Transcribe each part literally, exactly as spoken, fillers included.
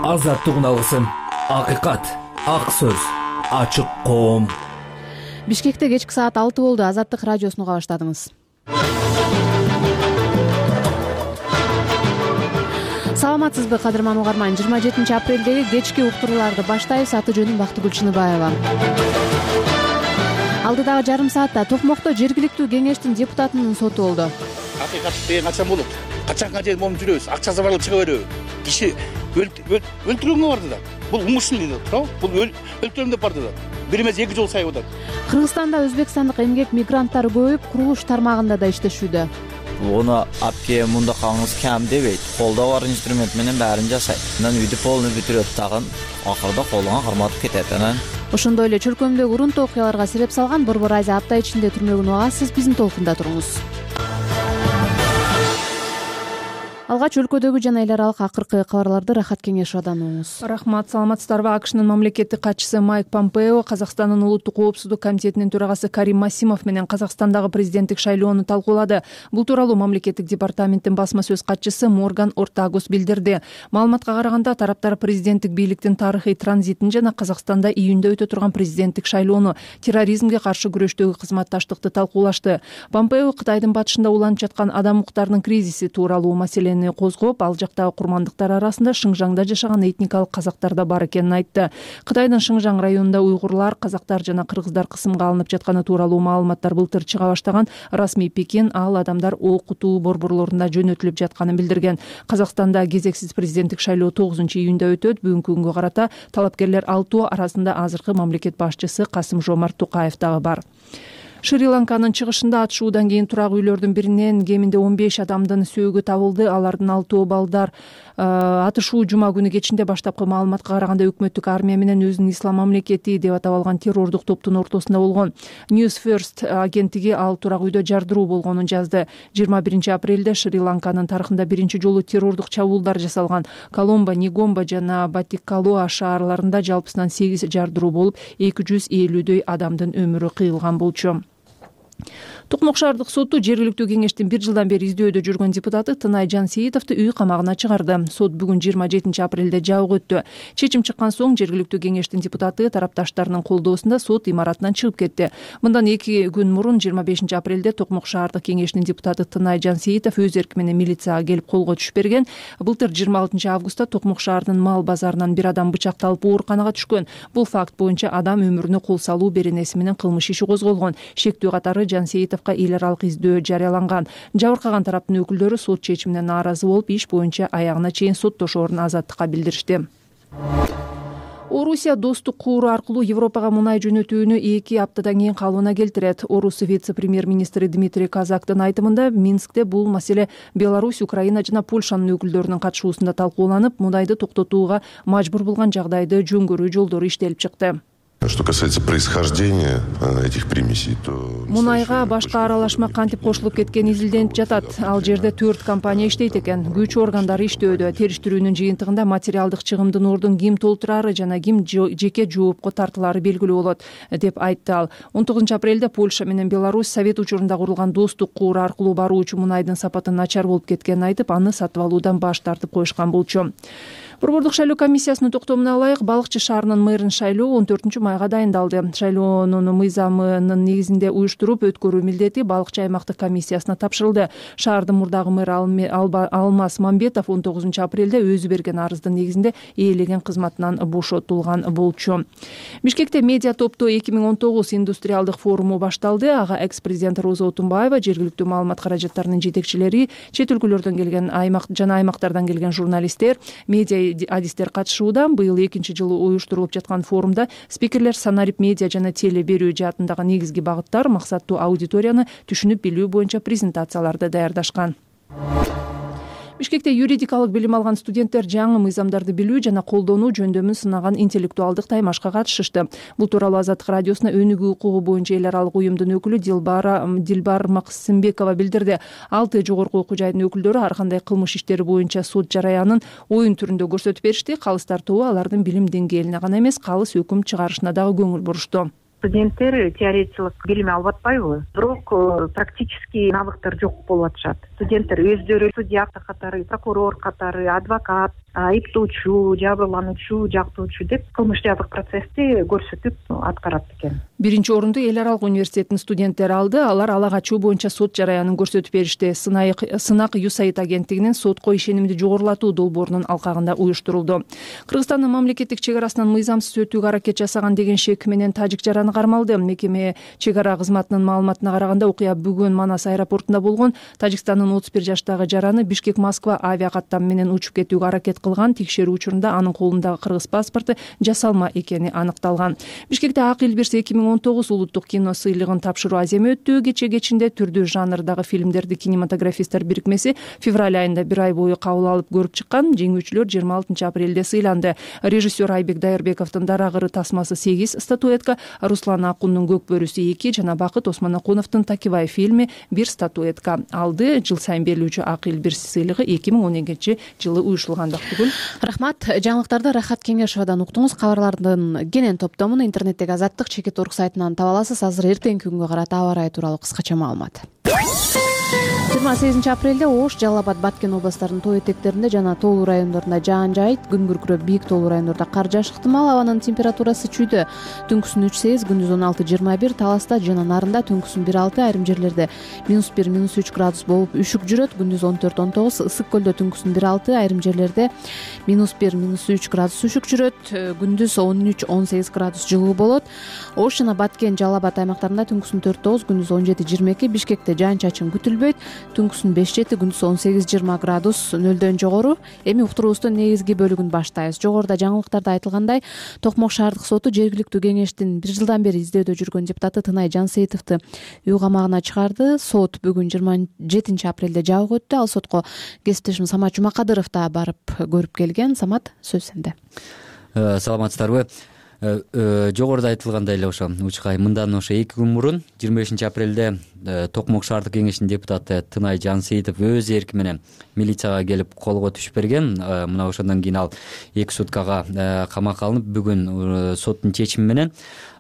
азаттык уналысын, акыйкат, ак сөз, ачык коом. Бишкекте кечки саат алты болду. Азаттык радиосуну уга баштадыңыз. Саламатсызбы, кадырман угарман? жыйырма жетинчи апрелдеги кечки уктурууларды баштайбыз. Аты жөнүм Бактыгүл Чыныбаева. Алдыдагы жарым саатта Токмокто жергиликтүү кеңештин депутатынын соту болду. Акыйкат деген качан болот? Качанга чейин момун жүрөбүз? Акчасы барлык чыга береби? Киши өлтүрүүгө барды да. Бул умышленный, туурабы? Бул өлтүрөм деп барды да. Бир эмес эки жол сайып атат. Кыргызстанда өзбекстандык эмгек мигранттары көбөйүп, курулуш тармагында да иштешүүдө. Уну апке мында калыңыз кам дебейт. Колдо бар инструмент менен баарын жасайт. Анан үйдү полный бүтүрөт тагын. Акырда колуңа карматып кетет анан. Ошондой эле чөлкөмдөгү урунтуу окуяларга себеп салган Борбор Азия апта ичинде түрмөгүн угасыз. Биздин толкунда туруңуз. Алгач өлкөдөгү жана эл аралык акыркы кабарларды Рахат Кеңешовдон угуңуз. Рахмат, саламатсыздарбы? АКШнын мамлекеттик катчысы Майк Помпео Казакстандын улуттук коопсуздук комитетинин төрагасы Карим Масимов менен Казакстандагы президенттик шайлоону талкуулады. Бул тууралуу мамлекеттик департаменттин басма сөз катчысы Морган Ортагус билдирди. Маалыматка караганда, тараптар президенттик бийликтин тарыхый транзитин жана Казакстанда июнда өтө турган президенттик шайлоону, терроризмге каршы күрөштөгү кызматташтыкты талкуулашты. Помпео Кытайдын батышында уланып жаткан адам укуктарынын кризиси тууралуу маселени козгоп, ал жактагы курмандыктар арасында Шыңжаңда жашаган этникалык казактар да бар экенин айтты. Кытайдын Шыңжаң районунда уйгурлар, казактар жана кыргыздар кысымга алынып жатканы тууралуу маалыматтар былтыр чыга баштаган. Расмий Пекин ал адамдар окутуу борборлорунда жөнөтүлүп жатканын билдирген. Казакстанда кезексиз президенттик шайлоо тогузунчу июнда өтөт. Бүгүнкү күнгө карата талапкерлер алтоо, арасында азыркы мамлекет башчысы Касым Жомарт Токаев дагы бар. Шри-Ланканын чыгышында атышуудан кийин турак үйлөрдүн биринен кеминде он беш адамдын сөөгү табылды. Алардын алтоо балдар. Атышуу жума күнү кечинде баштапкы маалыматка караганда өкмөттүк армия менен өзүнүн ислам мамлекети деп атап алган террордук топтун ортосунда болгон. News First агенттиги ал турак үйдө жардыруу болгонун жазды. жыйырма биринчи апрелде Шри-Ланканын тарыхында биринчи жолу террордук чабуулдар жасалган. Коломбо, Нигомбо жана Батикалоа шаарларында жалпысынан сегиз жардыруу болуп, эки жүз элүүдөй адамдын өмүрү кыйылган болчу. Токмок шаардык соту жергиликтүү кеңештин бир жылдан бери издөөдө жүргөн депутаты Тынай Жансейитовду үй камагына чыгарды. Сот бүгүн жыйырма жетинчи апрелде жабык өттү. Чечим чыккан соң жергиликтүү кеңештин депутаты тарапташтарынын колдоосунда сот имаратынан чыгып кетти. Мындан эки күн мурун жыйырма бешинчи апрелде Токмок шаардык кеңешинин депутаты Тынай Жансейитов өз эрки менен милицияга келип колго түшүп берген. Былтыр жыйырма алтынчы августта Токмок шаарынын мал базарынан бир адам бычакталып ооруканага түшкөн. Бул факт боюнча адам өмүрүнө кол салуу беренеси менен кылмыш иши козголгон. Шектүү катары Жансейитовго эл аралык издөө жарыяланган. Жабыркаган тараптын өкүлдөрү сот чечимине нааразы болуп, иш боюнча аягына чейин соттошоорун азаттыкка билдиришти. Орусия достук кууру аркылуу Европага мунай жөнөтүүнү эки аптадан кийин калыбына келтирет. Орус вице-премьер-министри Дмитрий Казактын айтымында, Минскте бул маселе Беларусь, Украина жана Польшанын өкүлдөрүнүн катышуусунда талкууланып, мунайды токтотууга мажбур болгон жагдайды жөнгөрүү жолдору иштелип чыкты. Что касается происхождения этих примесей, то мунайга башка аралашма кантип кошулуп кеткени изилденип жатат. Ал жерде төрт компания иштейт экен. Күч органдары иштөөдө. Териштирүүнүн жыйынтыгында материалдык чыгымдын ордун ким толтурары жана ким жеке жоопко тартылары белгилүү болот, деп айтты ал. он тогузунчу апрелде Польша менен Беларусь Совет учурунда курулган достук кууру аркылуу баруучу мунайдын сапаты начар болуп кеткенин айтып, аны сатып алуудан баш тартып коюшкан болчу. Борбордук шайлоо комиссиясынын токтомуна ылайык, Балыкчы шаарынын мэрин шайлоо он төртүнчү майга дайындалды. Шайлоонун мыйзамынын негизинде уюштуруп өткөрүү милдети Балыкчы аймактык комиссиясына тапшырылды. Шаардын мурдагы мэр Алмаз Мамбетов он тогузунчу апрелде өзү берген арыздын негизинде ээлеген кызматынан бошотулган болчу. Бишкекте медиа топтоо эки миң он тогуз индустриалдык форуму башталды. Ага экс-президент Роза Отунбаева, жергиликтүү маалымат каражаттарынын жетекчилери, чет өлкөлөрдөн келген аймак жана аймактардан келген журналисттер, медиа адистер катышууда. Быйыл экинчи жылы уюштурулуп жаткан форумда спикерлер санарип медиа жана теле берүү жаатындагы негизги багыттар, максаттуу аудиторияны түшүнүп билүү боюнча презентацияларды даярдашкан. Бишкекте юридикалык билим алган студенттер жаңы мыйзамдарды билүү жана колдонуу жөндөмүн сынаган интеллектуалдык таймашка катышышты. Бул тууралуу Азаттык радиосуна өнүгүү укугу боюнча эл аралык уюмдун өкүлү Дилбара Дилбар Максымбекова билдирди. Алты жогорку окуу жайдын өкүлдөрү ар кандай кылмыш иштери боюнча сот жараянын оюн түрүндө көрсөтүп беришти. Калыстар тобу алардын билим деңгээлине гана эмес, калыс өкүм чыгарышына дагы көңүл бурушту. Студенттер теоретиялык билим алып атпайбы, бирок практический навыктар жок болуп атышат. Студенттер өздөрү судья катары, прокурор катары, адвокат, айыптоочу, жабырлануучу, жактоочу деп кылмыш жазык процессти көрсөтүп аткарат экен. Биринчи орунду Эл аралык университетинин студенттери алды. Алар ала качуу боюнча сот жараянын көрсөтүп беришти. Сынак ЮСАИД агенттигинин сотко ишенимди жогорулатуу долбоорунун алкагында уюштурулду. Кыргызстандын мамлекеттик чек арасынан мыйзамсыз өтүүгө аракет жасаган деген шек менен тажик жараны кармалды. Мекеме чек ара кызматынын маалыматына караганда окуя бүгүн Манас аэропортунда болгон. Тажикстандын отуз бир жаштагы жараны Бишкек Москва авиа каттам менен учуп кетүүгө аракет кылган. Текшерүү учурунда анын колундагы кыргыз паспорту жасалма экени аныкталган. Бишкекте Акыл Бирс эки миң он тогуз улуттук кино сыйлыгын тапшыруу аземи өттү. Кече кечинде түрдүү жанрдагы фильмдерди кинематографисттер бирикмеси февраль айында бир ай бою кабыл алып көрүп чыккан. Жеңүүчүлөр жыйырма алтынчы апрелде сыйланды. Режиссер Айбек Дайырбековдун Дарагыры тасмасы сегиз статуэтка, Руслан Акундун Көк бөрүсү эки жана Бакыт Осмонакуновдун Такибай фильми бир статуэтка алды. Жыл сайын берилүүчү Акыл Бирс сыйлыгы эки миң он экинчи жылы уюшулган. Рахмат. Жаңылыктарды Рахат Кеңешовадан уктуңуз. Кабарлардын кенен топтомуну интернеттеги Азаттык чекит орг сайтынан таба аласыз. Азыр эртеңки күнгө карата аба ырайы тууралуу кыскача маалымат. жыйырма сегизинчи апрелде Ош, Жалал Абад, Баткен областарынын тоо этектеринде жана тоолуу райондорунда жаан жаайт. Күн күркүрөп бийик тоолуу райондордо кар жааш ыктымал. Абанын температурасы чүйдө. Түнкүсүн үч сегиз, күндүз он алты жыйырма бир, Таласта жана Нарында түнкүсүн бир алты, айрым жерлерде минус бир минус үч градус болуп үшүк жүрөт. Күндүз он төрт он тогуз, Ысык көлдө түнкүсүн бир алты, айрым жерлерде минус бир минус үч градус үшүк жүрөт. Күндүз он үч он сегиз градус жылуу болот. Ош жана Баткен, Жалал Абад аймактарында түнкүсүн төрт тогуз, күндүз он жети жыйырма эки, Бишкекте жаан чачын күтүлбөйт. Түнкүсүн беш жети, күндүз он сегиз жыйырма градус, нөлдөн жогору. Эми уктуруубуздун негизги бөлүгүн баштайбыз. Жогоруда жаңылыктарда айтылгандай, Токмок шаардык соту жергиликтүү кеңештин бир жылдан бери издөөдө жүргөн депутаты Тынай Жансейитовду үй камагына чыгарды. Сот бүгүн жыйырма жетинчи апрелде жабык өттү. Ал сотко кесиптешим Самат Жумакадыров да барып көрүп келген. Самат, сөз сенде. Саламатсыздарбы? Жогоруда айтылгандай эле ошо Учкай мындан ошо эки күн мурун жыйырма бешинчи апрелде Токмок шаардык кеңешинин депутаты Тынай Жансейитов өз эрки менен милицияга келип колго түшүп берген. Мына ошондон кийин ал эки суткага камакка алынып, бүгүн соттун чечими менен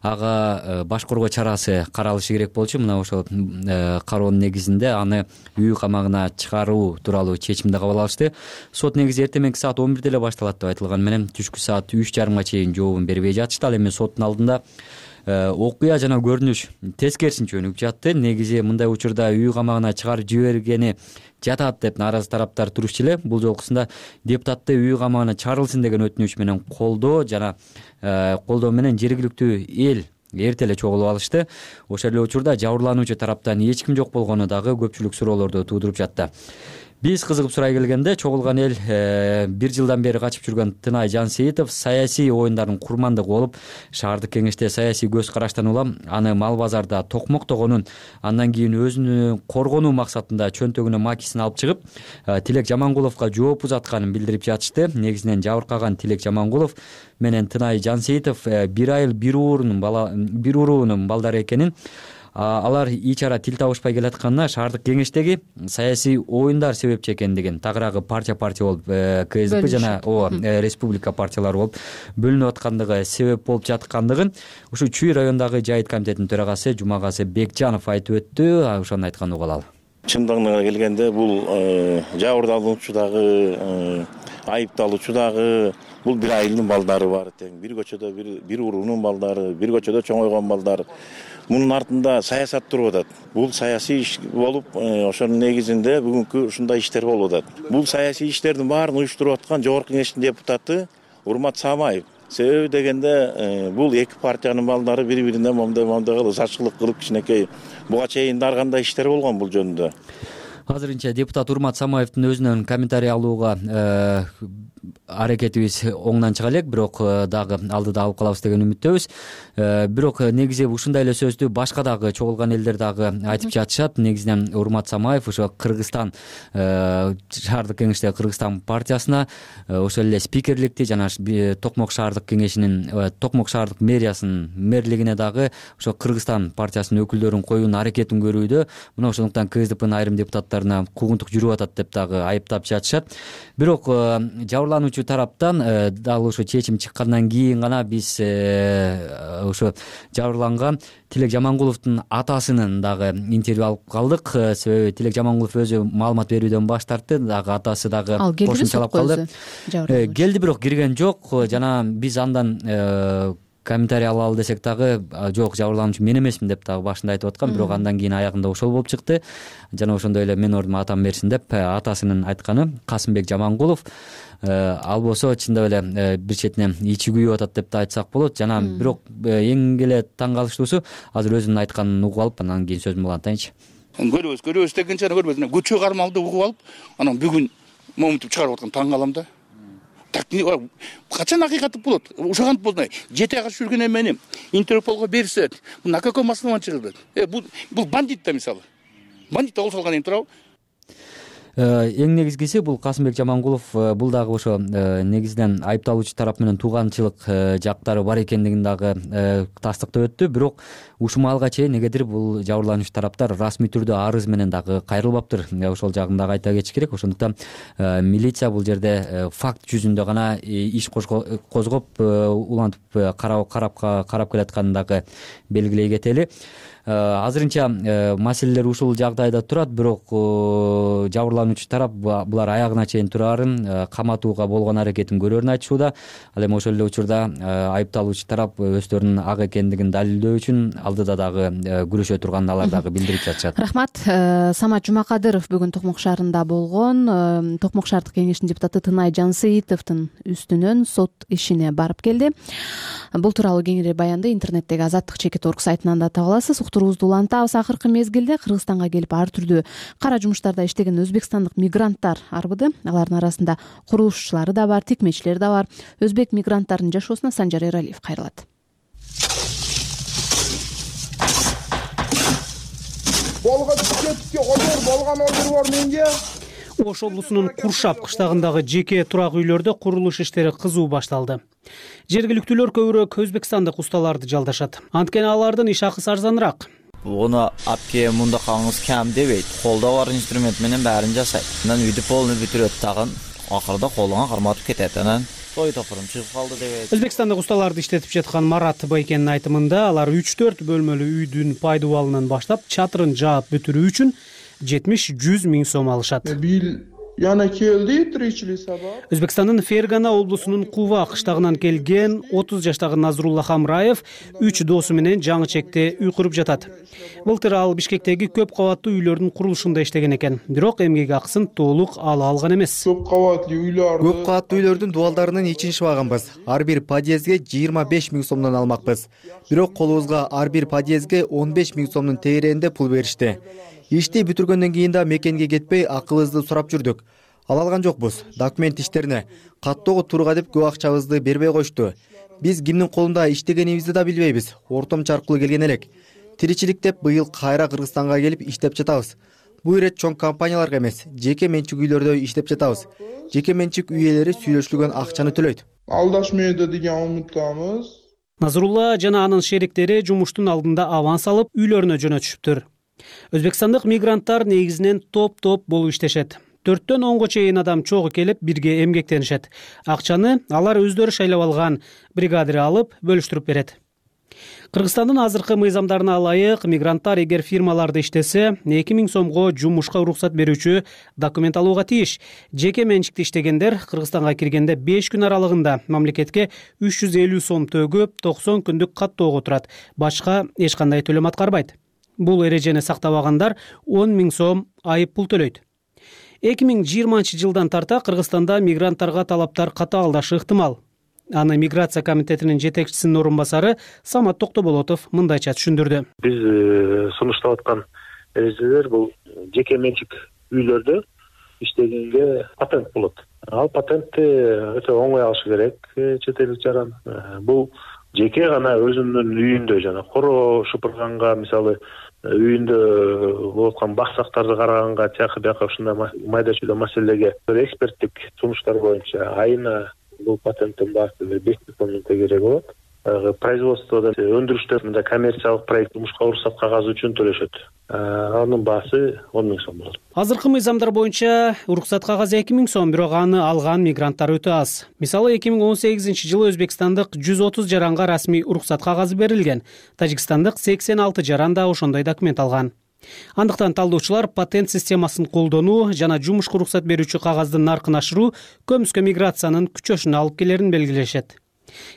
ага башкаруу чарасы каралышы керек болчу. Мына ошол кароонун негизинде аны үй камагына чыгаруу тууралуу чечимди кабыл алышты. Сот негизи эртең саат он бирде эле башталат деп айтылган менен түшкү саат үч жарымга чейин жообун бербей жатышты. Ал эми соттун алдында окуя жана көрүнүш тескерисинче өнүгүп жатты. Негизи мындай учурда үй камагына чыгарып жибергени жатат деп нааразы тараптар турушчу эле. Бул жолкусунда депутатты үй камагына чыгарылсын деген өтүнүч менен колдоо жана колдоо менен жергиликтүү эл эрте эле чогулуп алышты. Ошол эле учурда жабырлануучу тараптан эч ким жок болгону дагы көпчүлүк суроолорду туудуруп жатты. Биз кызыгып сурай келгенде чогулган эл бир жылдан бери качып жүргөн Тынай Жансейитов саясий оюндардын курмандыгы болуп, шаардык кеңеште саясий көз караштан улам аны мал базарда токмоктогонун, андан кийин өзүнү коргонуу максатында чөнтөгүнө макисин алып чыгып, Тилек Жамангуловго жооп узатканын билдирип жатышты. Негизинен жабыркаган Тилек Жамангулов менен Тынай Жансейитов бир айыл бир уурунун бала бир уруунун балдары экенин, алар ич ара тил табышпай келатканына шаардык кеңештеги саясий оюндар себепчи экендигин, тагыраагы партия партия болуп КСДП жана республика партиялары болуп бөлүнүп аткандыгы себеп болуп жаткандыгын ушу Чүй райондогу жайыт комитетинин төрагасы Жумагасы Бекжанов айтып өттү. Ошону айтканын угалы. Чындыгына келгенде бул жабырдалуучу дагы, айыпталуучу дагы бул бир айылдын балдары бар тең. Бир көчөдө бир бир уруунун балдары, бир көчөдө чоңойгон балдар. Мунун артында саясат туруп атат. Бул саясий иш болуп, ошонун негизинде бүгүнкү ушундай иштер болуп атат. Бул саясий иштердин баарын уюштуруп аткан Жогорку кеңештин депутаты Урмат Самаев. Себеби дегенде бул эки партиянын балдары бири-бирине момдай-момдай кылып, сачкылык кылып кичинекей буга чейин даргандай иштер болгон бул жөнүндө. Азырынча депутат Урмат Самаевдин өзүнөн комментарий алууга аракетибиз оңдон чыга элек, бирок дагы алдыда алып калабыз деген үмүттөбүз. Бирок негизи ушундай эле сөздү башка дагы чогулган элдер дагы айтып жатышат. Негизинен Урмат Самаев ошо Кыргызстан шаардык кеңештеги Кыргызстан партиясына, ошол эле спикерликти жана Токмок шаардык кеңешинин Токмок шаардык мэриясынын мэрлигине дагы ошо Кыргызстан партиясынын өкүлдөрүн коюунун аракетин көрүүдө. Мына ошондуктан КСДПнын айрым депутаттары жабдыктарына куугунтук жүрүп атат деп дагы айыптап жатышат. Бирок жабырлануучу тараптан дал ошо чечим чыккандан кийин гана биз ошо жабырланган Тилек Жамангуловдун атасынын дагы интервью алып калдык. Себеби Тилек Жамангулов өзү маалымат берүүдөн баш тартты, дагы атасы дагы кошумчалап калды. Келди, бирок кирген жок. Жана биз андан комментарий ала ал десек дагы жок, жабырлануучу мен эмесмин деп дагы башында айтып аткан, бирок андан кийин аягында ошол болуп чыкты. Жана ошондой эле мен ордума атам берсин деп атасынын айтканы Касымбек Жамангулов. Ал болсо чындап эле бир четинен ичи күйүп атат деп да айтсак болот. Жана бирок эң эле таң калыштуусу азыр өзүнүн айтканын угуп алып, анан кийин сөзүмдү улантайынчы. Көрөбүз, көрөбүз дегенче көрбөдүм. Көчө кармалды угуп алып, анан бүгүн момунтуп чыгарып аткан таң калам да. Качан акыйкаты болот? Ушагантип болду. Жете каршы жүргөн эмени Интерполго берсе, бул на каком основании чыгды? Э, бул бул бандит да мисалы. Бандит да кол салган эми турабы? Эң негизгиси бул Касымбек Жамангулов бул дагы ошо негизинен айыпталуучу тарап менен тууганчылык жактары бар экендигин дагы тастыктап өттү. Бирок ушул маалга чейин негедир бул жабырлануучу тараптар расмий түрдө арыз менен дагы кайрылбаптыр. Ошол жагын дагы айта кетиш керек. Ошондуктан милиция бул жерде факт жүзүндө гана иш козгоп улантып карап карап келатканын дагы белгилей кетели. Азырынча маселелер ушул жагдайда турат, бирок жабырлануучу тарап булар аягына чейин турарын, каматууга болгон аракетин көрөрүн айтышууда. Ал эми ошол эле учурда айыпталуучу тарап өздөрүнүн ак экендигин далилдөө үчүн алдыда дагы күрөшө турганын алар дагы билдирип жатышат. Рахмат. Самат Жумакадыров бүгүн Токмок шаарында болгон. Токмок шаардык кеңешинин депутаты Тынай Жансейитовдун үстүнөн сот ишине барып келди. Бул тууралуу кеңири баянды интернеттеги Азаттык чекит орг сайтынан да таба аласыз. Уктуруубузду улантабыз. Акыркы мезгилде Кыргызстанга келип ар түрдүү кара жумуштарда иштеген өзбекстандык мигранттар арбыды. Алардын арасында курулушчулары да бар, тикмечилер да бар. Өзбек мигранттардын жашоосуна Санжар Эралиев кайрылат. Ош облусунун Куршап кыштагындагы жеке турак үйлөрдө курулуш иштери кызуу башталды. Жергиликтүүлөр көбүрөөк өзбекстандык усталарды жалдашат. Анткени алардын иш акысы арзаныраак. Буну апке мунда калыңыз кам дебейт. Колдо бар инструмент менен баарын жасайт. Анан үйдү полный бүтүрөт тагын. Акырда колуңа карматып кетет. Анан той топурум чыгып калды дебейт. Өзбекстандык усталарды иштетип жаткан Марат Байкенин айтымында алар үч төрт бөлмөлүү үйдүн пайдубалынан баштап чатырын жаап бүтүрүү үчүн жетимиш жүз миң сом алышат. Яна келди тиричилик сабап. Өзбекстандын Фергана облусунун Кува кыштагынан келген отуз жаштагы Назрулла Хамраев үч досу менен жаңы чекте үй куруп жатат. Былтыр ал Бишкектеги көп кабаттуу үйлөрдүн курулушунда иштеген экен. Бирок эмгек акысын толук ала алган эмес. Көп кабаттуу үйлөрдү Көп кабаттуу үйлөрдүн дубалдарынын ичин шыбаганбыз. Ар бир подъездге жыйырма беш миң сомдон алмакпыз. Бирок колубузга ар бир подъездге он беш миң сомдун тегерегинде пул беришти. Ишти бүтүргөндөн кийин да мекенге кетпей акыбызды сурап жүрдүк. Ала алган жокпуз. Документ иштерине каттоого турга деп көп акчабызды бербей коюшту. Биз кимдин колунда иштегенибизди да билбейбиз. Ортомчу аркылуу келген элек. Тиричилик деп быйыл кайра Кыргызстанга келип иштеп жатабыз. Бул ирет чоң компанияларга эмес, жеке менчик үйлөрдө иштеп жатабыз. Жеке менчик үй ээлери сүйлөшүлгөн акчаны төлөйт. Алдашмайды деген умуттамыз. Назрулла жана анын шериктери жумуштун алдында аванс алып үйлөрүнө жөнөтүшүптүр. Өзбекстандык мигранттар негизинен топ-топ болуп иштешет. төрттөн онго чейин адам чогуу келип бирге эмгектенишет. Акчаны алар өздөрү шайлап алган бригадир алып бөлүштүрүп берет. Кыргызстандын азыркы мыйзамдарына ылайык мигранттар эгер фирмаларда иштесе эки миң сомго жумушка уруксат берүүчү документ алууга тийиш. Жеке менчикте иштегендер Кыргызстанга киргенде беш күн аралыгында мамлекетке үч жүз элүү сом төгүп токсон күндүк каттоого турат. Башка эч кандай төлөм аткарбайт. Бул эрежени сактабагандар он миң сом айып пул төлөйт. эки миң жыйырманчы жылдан тарта Кыргызстанда мигранттарга талаптар катаалдашы ыктымал. Аны миграция комитетинин жетекчисинин орун басары Самат Токтоболотов мындайча түшүндүрдү. Биз сунуштап аткан эрежелер бул жеке менчик үйлөрдө иштегенге патент болот. Ал патентти өтө оңой алышы керек чет элдик жаран. Бул жеке гана өзүнүн үйүндө жана коро шупурганга, мисалы үйүндө болуп аткан баксактарды караганга, тияка бияка ушундай майда чүйдө маселелерге эксперттик сунуштар боюнча айына бул патенттин баасы беш миң сомдун тегереги болот. производстводо өндүрүштө мындай коммерциялык проект жумушка уруксат кагазы үчүн төлөшөт. Анын баасы он миң сом болот. Азыркы мыйзамдар боюнча уруксат кагазы эки миң сом, бирок аны алган мигранттар өтө аз. Мисалы эки миң он сегизинчи жылы өзбекстандык жүз отуз жаранга расмий уруксат кагазы берилген. Тажикстандык сексен алты жаран да ошондой документ алган. Андыктан талдоочулар патент системасын колдонуу жана жумушка уруксат берүүчү кагаздын наркын ашыруу көмүскө миграциянын күчөшүнө алып келерин белгилешет.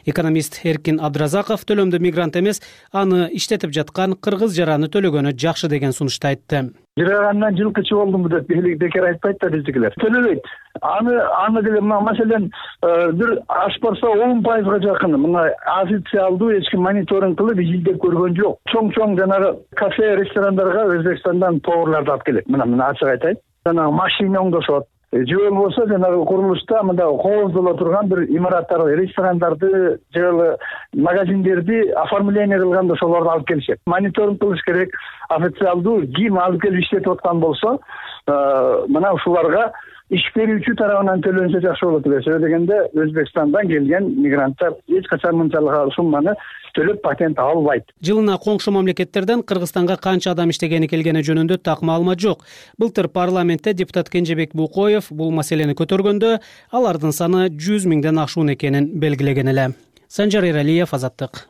Экономист Эркин Абдразаков төлөмдө мигрант эмес, аны иштетип жаткан кыргыз жараны төлөгөнү жакшы деген сунушту айтты. Жырагандан жылкычы болдумбу деп бекер айтпайт да биздикилер. Төлөбөйт. Аны аны деле маселен бир ашпарса он пайызга жакын мына официалдуу эч ким мониторинг кылып изилдеп көргөн жок. Чоң-чоң жанагы кафе, ресторандарга Өзбекстандан поварларды алып келет. Мына мына ачык айтайын. Жанагы машина оңдошот. Же болбосо жанагы курулушта мындай кооздоло турган бир имараттар, ресторандарды, же магазиндерди оформление кылганда ошолорду алып келишет. Мониторинг кылыш керек. Официалдуу ким алып келип иштетип аткан болсо, мына ушуларга иш берүүчү тарабынан төлөнсө жакшы болот эле. Себеби дегенде Өзбекстандан келген мигранттар эч качан мынчалык сумманы төлөп патент албайт. Жылына коңшу мамлекеттерден Кыргызстанга канча адам иштегени келгени жөнүндө так маалымат жок. Былтыр парламентте депутат Кенжебек Букоев бул маселени көтөргөндө алардын саны жүз миңден ашуун экенин белгилеген эле. Санжар Эралиев, Азаттык.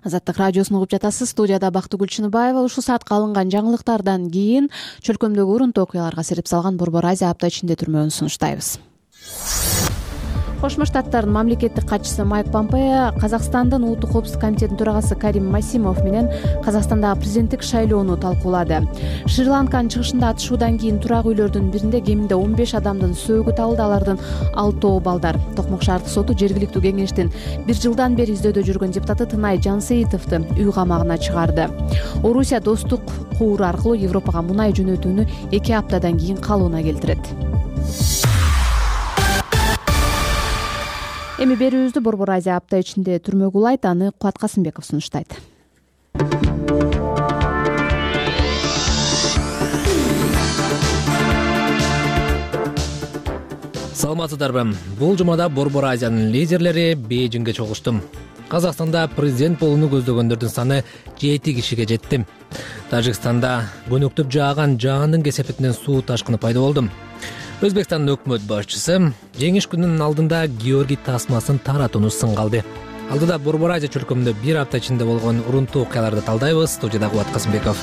Азаттык радиосун угуп жатасыз. Студияда Бактыгүл Чыныбаева. Ушул саатка алынган жаңылыктардан кийин чөлкөмдөгү урунтуу окуяларга сереп салган Борбор Азия апта ичинде түрмөгүн сунуштайбыз. Кошмо Штаттардын мамлекеттик катчысы Майк Помпео Казакстандын Улуттук коопсуздук комитетинин төрагасы Карим Масимов менен Казакстандагы президенттик шайлоону талкуулады. Шри-Ланканын чыгышында атышуудан кийин турак үйлөрдүн биринде кеминде он беш адамдын сөөгү табылды. Алардын алтоо балдар. Токмок шаардык соту жергиликтүү кеңештин бир жылдан бери издөөдө жүргөн депутаты Тынай Жансейитовду үй камагына чыгарды. Орусия достук кууру аркылуу Европага мунай жөнөтүүнү эки аптадан кийин калыбына келтирет. Эми берүүбүздү Борбор Азия апта ичинде түрмөгү улайт, аны Кубат Касымбеков сунуштайт. Саламатсыздарбы? Бул жумада Борбор Азиянын лидерлери Бейжиңге чогулушту. Казакстанда президент болууну көздөгөндөрдүн саны жети кишиге жетти. Тажикстанда көнөктөп жааган жаандын кесепетинен суу ташкыны пайда болду. Өзбекстандын өкмөт башчысы жеңиш күнүнүн алдында Георгий тасмасын таратууну сынга алды. Алдыда Борбор Азия чөлкөмүндө бир апта ичинде болгон урунтуу окуяларды талдайбыз. Студияда Кубат Касымбеков.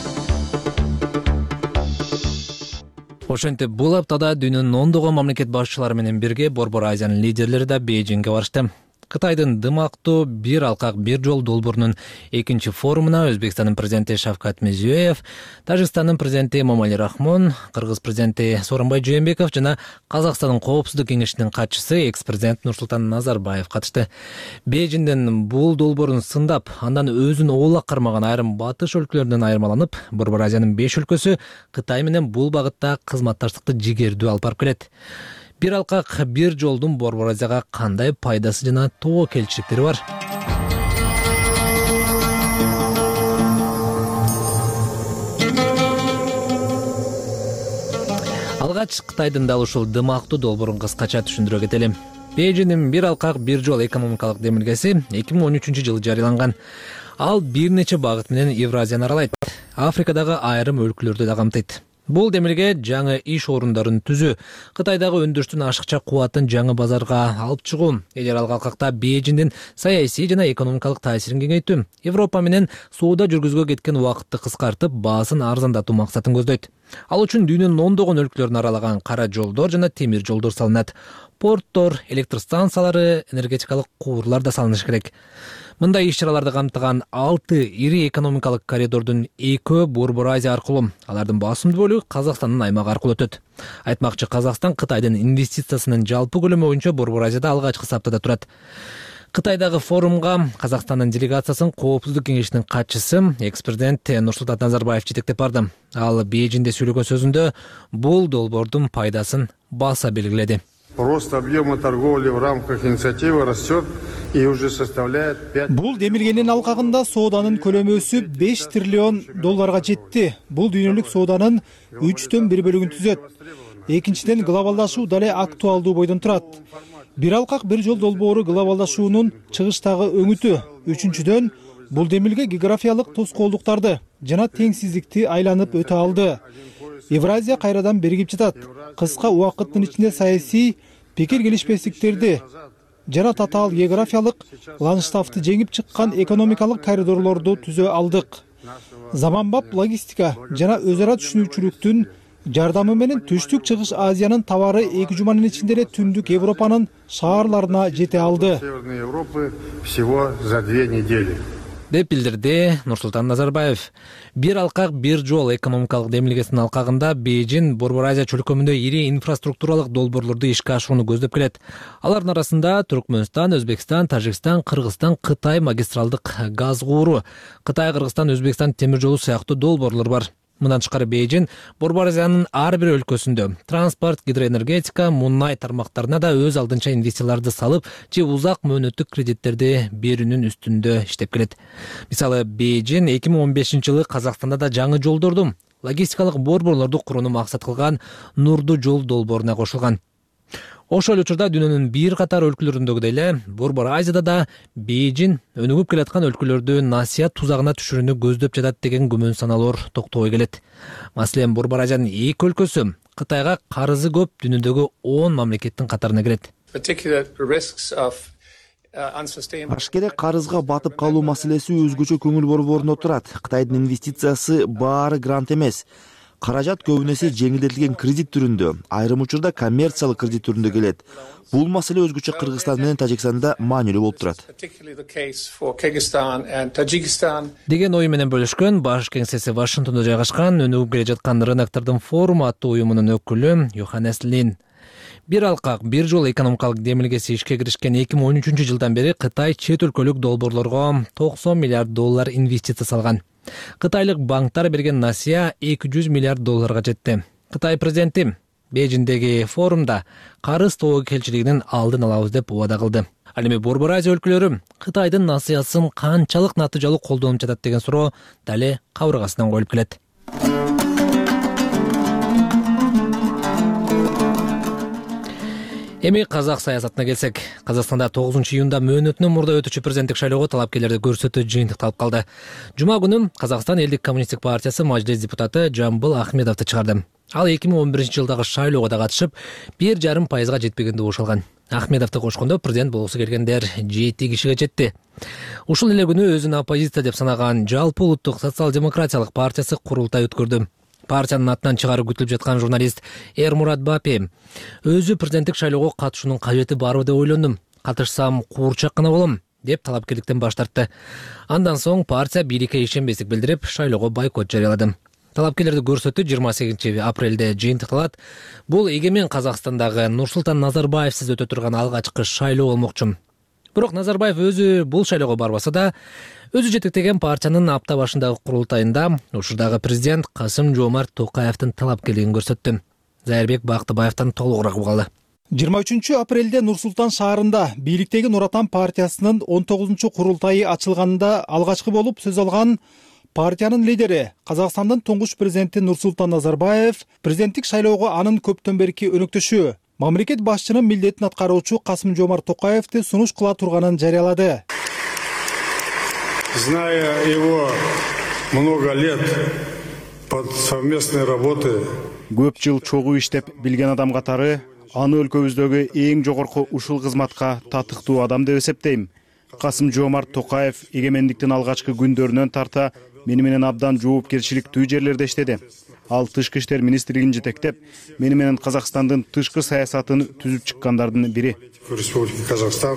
Ошентип бул аптада дүйнөнүн ондогон мамлекет башчылары менен бирге Борбор Азиянын лидерлери да Бейжиңге барышты. Кытайдын дымактуу бир алкак бир жол долбоорунун экинчи форумуна Өзбекстандын президенти Шавкат Мирзиёев, Тажикстандын президенти Эмомали Рахмон, Кыргыз президенти Сооронбай Жээнбеков жана Казакстандын коопсуздук кеңешинин катчысы экс-президент Нурсултан Назарбаев катышты. Бейжиңден бул долбоорун сындап, андан өзүн оолак кармаган айрым батыш өлкөлөрүнөн айырмаланып, Борбор Азиянын беш өлкөсү Кытай менен бул багытта кызматташтыкты жигердүү алып барып келет. Бир алкак бир жолдун Борбор Азияга кандай пайдасы жана тобокелчиликтери бар? Алгач Кытайдын дал ушул дымактуу долбоорун кыскача түшүндүрө кетели. Бейжиңдин бир алкак бир жол экономикалык демилгеси эки миң он үчүнчү жылы жарыяланган. Ал бир нече багыт менен Евразияны аралайт. Африкадагы айрым өлкөлөрдү да камтыйт. Бул демилге жаңы иш орундарын түзүү, Кытайдагы өндүрүштүн ашыкча кубатын жаңы базарга алып чыгуу, эгер ал алкакта Бейжиңдин саясий жана экономикалык таасирин кеңейтүү, Европа менен соода жүргүзгө кеткен убакытты кыскартып, баасын арзандатуу максатын көздөйт. Ал үчүн дүйнөнүн ондогон өлкөлөрүн аралаган кара жолдор жана темир жолдор салынат. Порттор, электр станциялары, энергетикалык куурлар да салынышы керек. Мындай иш-чараларды камтыган алты ири экономикалык коридордун экөө Борбор Азия аркылуу, алардын басымдуу бөлүгү Казакстандын аймагы аркылуу өтөт. Айтмакчы, Казакстан Кытайдын инвестициясынын жалпы көлөмү боюнча Борбор Азияда алгачкы саптада турат. Кытайдагы форумга Казакстандын делегациясын коопсуздук кеңешинин катчысы экс-президент Нурсултан Назарбаев жетектеп барды. Ал Бейжиңде сүйлөгөн сөзүндө бул долбоордун пайдасын баса белгиледи. Рост объема торговли в рамках инициативы растет и уже составляет пять. Бул демилгенин алкагында сооданын көлөмү өсүп беш триллион долларга жетти. Бул дүйнөлүк сооданын үчтөн бир бөлүгүн түзөт. Экинчиден, глобалдашуу дале актуалдуу бойдон турат. бир алкак бир жол долбоору глобалдашуунун чыгыштагы өңүтү. Үчүнчүдөн, бул демилге географиялык тоскоолдуктарды жана теңсиздикти айланып өтө алды. Евразия кайрадан биригип жатат. Кыска убакыттын ичинде саясий пикир келишпестиктерди жана татаал географиялык ландшафтты жеңип чыккан экономикалык коридорлорду түзө алдык. Заманбап логистика жана өз ара түшүнүүчүлүктүн жардамы менен Түштүк Чыгыш Азиянын товары эки жуманын ичинде эле Түндүк Европанын шаарларына жете алды. Северной Европы всего за две недели. деп билдирди Нурсултан Назарбаев. Бир алкак бир жол экономикалык демилгесинин алкагында Бейжин Борбор Азия чөлкөмүндө ири инфраструктуралык долбоорлорду ишке ашырууну көздөп келет. Алардын арасында Түркмөнстан, Өзбекстан, Тажикстан, Кыргызстан, Кытай магистралдык газ кууру, Кытай, Кыргызстан, Өзбекстан темир жолу сыяктуу долбоорлор бар. Мындан тышкары Бейжин Борбор Азиянын ар бир өлкөсүндө транспорт, гидроэнергетика, мунай тармактарына да өз алдынча инвестицияларды салып, же узак мөөнөттүк кредиттерди берүүнүн үстүндө иштеп келет. Мисалы, Бейжин эки миң он бешинчи жылы Казакстанда да жаңы жолдорду, логистикалык борборлорду курууну максат кылган Нурдуу жол долбооруна кошулган. Ошол учурда дүйнөнүн бир катар өлкөлөрүндөгүдөй эле Борбор Азияда да Бейжин өнүгүп келаткан өлкөлөрдү насыят тузагына түшүрүүнү көздөп жатат деген күмөн саналоор токтобой келет. Маселен, Борбор Азиянын эки өлкөсү Кытайга карызы көп дүйнөдөгү он мамлекеттин катарына кирет. Башкеде карызга батып калуу маселеси өзгөчө көңүл борборуна турат. Кытайдын инвестициясы баары грант эмес. Каражат көбүнесе жеңилдетилген кредит түрүндө, айрым учурда коммерциялык кредит түрүндө келет. Бул маселе өзгөчө Кыргызстан менен Тажикстанда маанилүү болуп турат. Деген ой менен бөлүшкөн Баш кеңсеси Вашингтондо жайгашкан өнүгүп келе жаткан рыноктордун форуму аттуу уюмунун өкүлү Йоханнес Лин. Бир алкак бир жол экономикалык демилгеси ишке киришкен эки миң он үчүнчү жылдан бери Кытай чет өлкөлүк долбоорлорго токсон миллиард доллар инвестиция салган. Кытайлык банктар берген насыя эки жүз миллиард долларга жетти. Кытай президенти Бейжиндеги форумда карыз тобокелчилигинин алдын алабыз деп убада кылды. Ал эми Борбор Азия өлкөлөрү Кытайдын насыясын канчалык натыйжалуу колдонуп жатат деген суроо дале кабыргасынан коюлуп келет. Эми казак саясатына келсек, Казакстанда тогузунчу июнда мөөнөтүнөн мурда өтүүчү президенттик шайлоого талапкерлерди көрсөтүү жыйынтыкталып калды. Жума күнү Казакстан Элдик коммунисттик партиясы мажлис депутаты Жамбыл Ахмедовду чыгарды. Ал эки миң он биринчи жылдагы шайлоого да катышып, бир жарым пайызга жетпеген деп ошолган. Ахмедовду кошкондо президент болгусу келгендер жети кишиге жетти. Ушул эле күнү өзүн оппозиция деп санаган Жалпы улуттук социал-демократиялык партиясы курултай өткөрдү. Партиянын атынан чыгаруу күтүлүп жаткан журналист Эрмурат Бапи өзү президенттик шайлоого катышуунун кажети барбы деп ойлондум. Катышсам куурчак гана болом деп талапкерликтен баш тартты. Андан соң партия бийликке ишенбестик билдирип, шайлоого бойкот жарыялады. Талапкерлерди көрсөтүү жыйырма сегизинчи апрелде жыйынтыкталат. Бул эгемен Казакстандагы Нурсултан Назарбаевсиз өтө турган алгачкы шайлоо болмокчу. Бирок Назарбаев өзү бул шайлоого барбаса да, өзү жетектеген партиянын апта башындагы курултайында учурдагы президент Касым Жомарт Токаевдин талапкерлигин көрсөттү. Зайырбек Бактыбаевден толугураак угалы. жыйырма үчүнчү апрелде Нур-Султан шаарында бийликтеги Нур Атан партиясынын он тогузунчу курултайы ачылганында алгачкы болуп сөз алган партиянын лидери, Казакстандын туңгуч президенти Нурсултан Назарбаев президенттик шайлоого анын көптөн берки өнөктөшү, мамлекет башчынын милдетин аткаруучу Касым Жомарт Токаевди сунуш кыла турганын жарыялады. Зная его много лет под совместной работы, көп жыл чогуу иштеп билген адам катары, аны өлкөбүздөгү эң жогорку ушул кызматка татыктуу адам деп эсептейм. Касым Жомарт Токаев эгемендиктин алгачкы күндөрүнөн тарта мени менен абдан жоопкерчиликтүү жерлерде иштеди. Ал тышкы иштер министрлигин жетектеп, мени менен Казакстандын тышкы саясатын түзүп чыккандардын бири. Казакстан.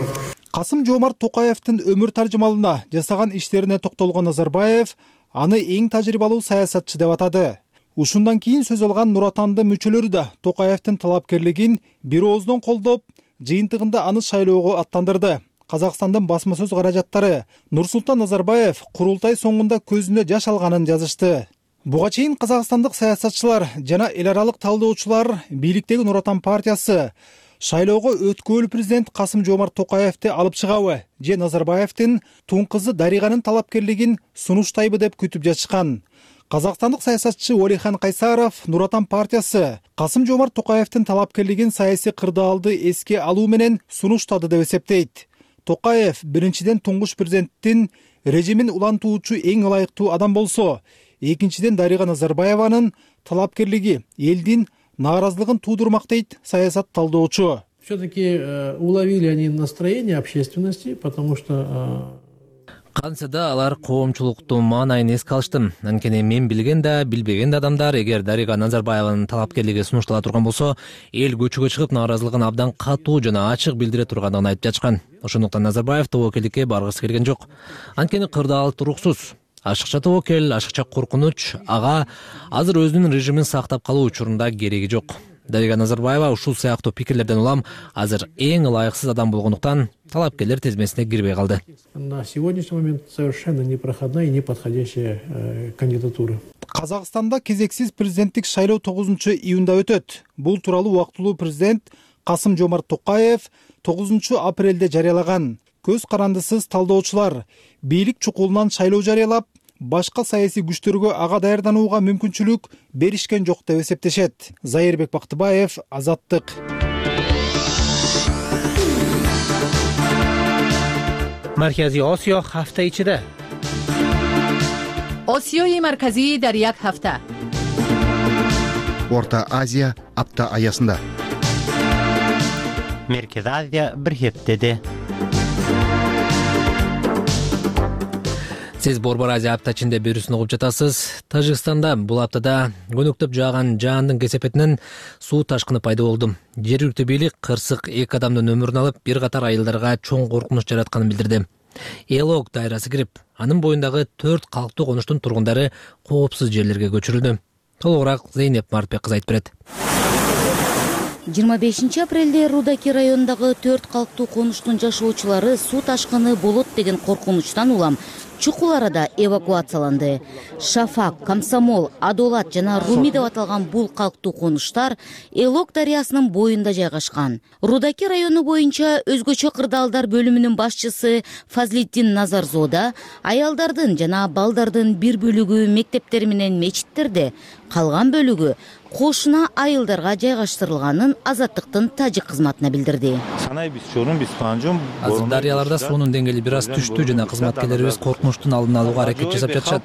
Касым Жомарт Токаевдин өмүр таржымалына жасаган иштерине токтолгон Назарбаев аны эң тажрыйбалуу саясатчы деп атады. Ушундан кийин сөз алган Нур Атандын мүчөлөрү да Токаевдин талапкерлигин бир ооздон колдоп, жыйынтыгында аны шайлоого аттандырды. Казакстандын басма сөз каражаттары Нурсултан Назарбаев курултай соңунда көзүнө жаш алганын жазышты. Буга чейин казакстандык саясатчылар жана эл аралык талдоочулар бийликтеги Нур Атан партиясы шайлоого өткөөлүү президент Касым Жомарт Токаевди алып чыгабы же Назарбаевдин туң кызы Дариганын талапкерлигин сунуштайбы деп күтүп жатышкан. Казакстандык саясатчы Олихан Кайсаров Нур Отан партиясы Касым Жомарт Токаевдин талапкерлигин саясий кырдаалды эске алуу менен сунуштады деп эсептейт. Токаев биринчиден туңгуч президенттин режимин улантуучу эң ылайыктуу адам болсо, экинчиден Дарига Назарбаеванын талапкерлиги элдин нааразылыгын туудурмак дейт саясат талдоочу. Все-таки уловили они настроение общественности, потому что кантсе да алар коомчулуктун маанайын эске алышты. Анткени мен билген да, билбеген да адамдар эгер Дарига Назарбаеванын талапкерлиги сунуштала турган болсо, эл көчөгө чыгып нааразылыгын абдан катуу жана ачык билдире тургандыгын айтып жатышкан. Ошондуктан Назарбаев тобокелдикке баргысы келген жок. Анткени кырдаал туруксуз. Ашыкча тобокел, ашыкча коркунуч ага азыр өзүнүн режимин сактап калуу учурунда кереги жок. Дарига Назарбаева ушул сыяктуу пикирлерден улам азыр эң ылайыксыз адам болгондуктан талапкерлер тизмесине кирбей калды. На сегодняшний момент совершенно непроходная и неподходящая кандидатура. Казакстанда кезексиз президенттик шайлоо тогузунчу июнда өтөт. Бул тууралуу убактылуу президент Касым Жомарт Токаев тогузунчу апрелде жарыялаган. Көз карандысыз талдоочулар бийлик чукулунан шайлоо жарыялап, башка саясий күчтөргө ага даярданууга мүмкүнчүлүк беришкен жок деп эсептешет. Зайырбек Бактыбаев, Азаттык. Маркази Осиё ҳафта ичида. Осиёи марказӣ дар як ҳафта. Орта Азия апта аясында. Меркез Азия бир хептеде. Сиз Борбор Азия апта ичинде берүүсүн угуп жатасыз. Тажикстанда бул аптада көнүктөп жааган жаандын кесепетинен суу ташкыны пайда болду. Жергиликтүү бийлик кырсык эки адамдын өмүрүн алып, бир катар айылдарга чоң коркунуч жаратканын билдирди. Элок дайрасы кирип, анын боюндагы төрт калктуу конуштун тургундары коопсуз жерлерге көчүрүлдү. Толугураак Зейнеп Мартбек кыз айтып берет. жыйырма бешинчи апрелде Рудаки районундагы төрт калктуу конуштун жашоочулары суу ташкыны болот деген коркунучтан улам чукул арада эвакуацияланды. Шафак, Комсомол, Адолат жана Руми деп аталган бул калктуу конуштар Элок дарыясынын боюнда жайгашкан. Рудаки району боюнча өзгөчө кырдаалдар бөлүмүнүн башчысы Фазлиддин Назарзода аялдардын жана балдардын бир бөлүгү мектептер менен мечиттерде, калган бөлүгү кошуна айылдарга жайгаштырылганын Азаттыктын тажик кызматына билдирди. Азыр дарыяларда суунун деңгээли бир аз түштү жана кызматкерлерибиз коркунучтун алдын алууга аракет жасап жатышат,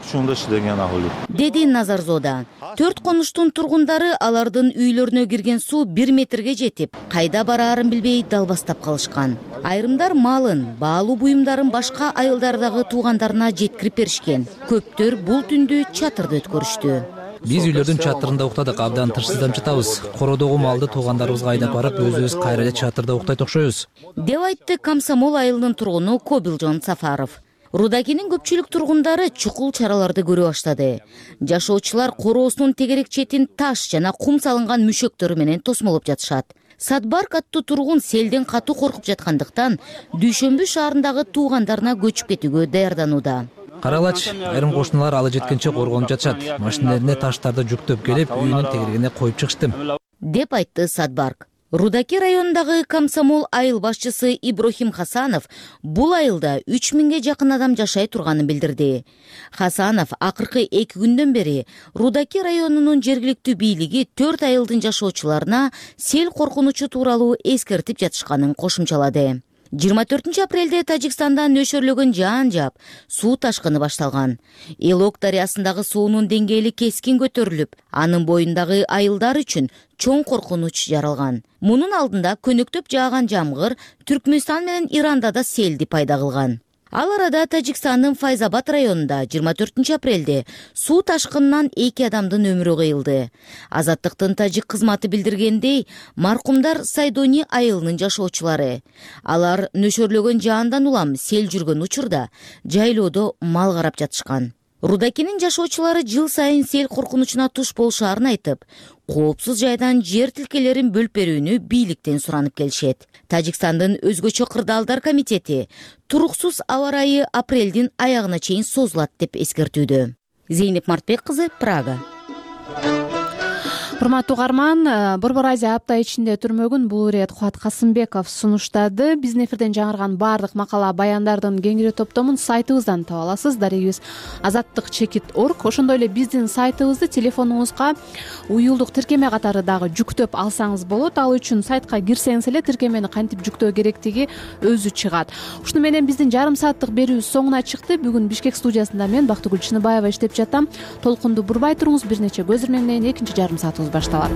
деди Назарзода. Төрт конуштун тургундары алардын үйлөрүнө кирген суу бир метрге жетип, кайда бараарын билбей далбастап калышкан. Айрымдар малын, баалуу буюмдарын башка айылдардагы туугандарына жеткирип беришкен. Көптөр бул түндү чатырда өткөрүштү. Биз үйлөрдүн чатырында уктадык, абдан тынчсызданып жатабыз. Кородогу малды туугандарыбызга айдап барып, өзүбүз кайра эле чатырда уктайт окшойбуз, деп айтты Комсомол айылынын тургуну Кобилжон Сафаров. Рудакинин көпчүлүк тургундары чукул чараларды көрө баштады. Жашоочулар короосунун тегерек четин таш жана кум салынган мүшөктөрү менен тосмолоп жатышат. Садбарк аттуу тургун селден катуу коркуп жаткандыктан Дүйшөмбү шаарындагы туугандарына көчүп кетүүгө даярданууда. Каралач, айрым кошуналар алы жеткенче коргонуп жатышат. Машинелерине таштарды жүктөп келип, үйүнүн тегерегине коюп чыгышты, деп айтты Садбарк. Рудаки районундагы Комсомол айыл башчысы Иброхим Хасанов бул айылда үч миңге жакын адам жашай турганын билдирди. Хасанов акыркы эки күндөн бери Рудаки районунун жергиликтүү бийлиги төрт айылдын жашоочуларына сел коркунучу тууралуу эскертип жатышканын кошумчалады. жыйырма төртүнчү апрелде Тажикстанда нөшөрлөгөн жаан жаап, суу ташкыны башталган. Элок дарыясындагы суунун деңгээли кескин көтөрүлүп, анын боюндагы айылдар үчүн чоң коркунуч жаралган. Мунун алдында көнөктөп жааган жамгыр Түркмөнстан менен Иранда да селди пайда кылган. Ал арада Тажикстандын Файзабад районунда жыйырма төртүнчү апрелде суу ташкынынан эки адамдын өмүрү кыйылды. Азаттыктын тажик кызматы билдиргендей, маркумдар Сайдони айылынын жашоочулары. Алар нөшөрлөгөн жаандан улам сел жүргөн учурда жайлоодо мал карап жатышкан. Рудакинин жашоочулары жыл сайын сел коркунучуна туш болушаарын айтып, коопсуз жайдан жер тилкелерин бөлүп берүүнү бийликтен суранып келишет. Тажикстандын өзгөчө кырдаалдар комитети туруксуз аба ырайы апрелдин аягына чейин созулат деп эскертүүдө. Зейнеп Мартбек кызы, Прага. урматтуу угарман, Борбор Азия апта ичинде түрмөгүн бул ирет Кубат Касымбеков сунуштады. Биздин эфирден жаңырган баардык макала баяндардын кеңири топтомун сайтыбыздан таба аласыз. Дарегибиз азаттык чекит точка орг. Ошондой эле биздин сайтыбызды телефонуңузга уюлдук тиркеме катары дагы жүктөп алсаңыз болот. Ал үчүн сайтка кирсеңиз эле тиркемени кантип жүктөө керектиги өзү чыгат. Ушуну менен биздин жарым сааттык берүүбүз соңуна чыкты. Бүгүн Бишкек студиясында мен Бактыгүл Чыныбаева иштеп жатам. Толкунду бурбай туруңуз, бир нече көз ирмемден экинчи жарым саатыбыз башталат.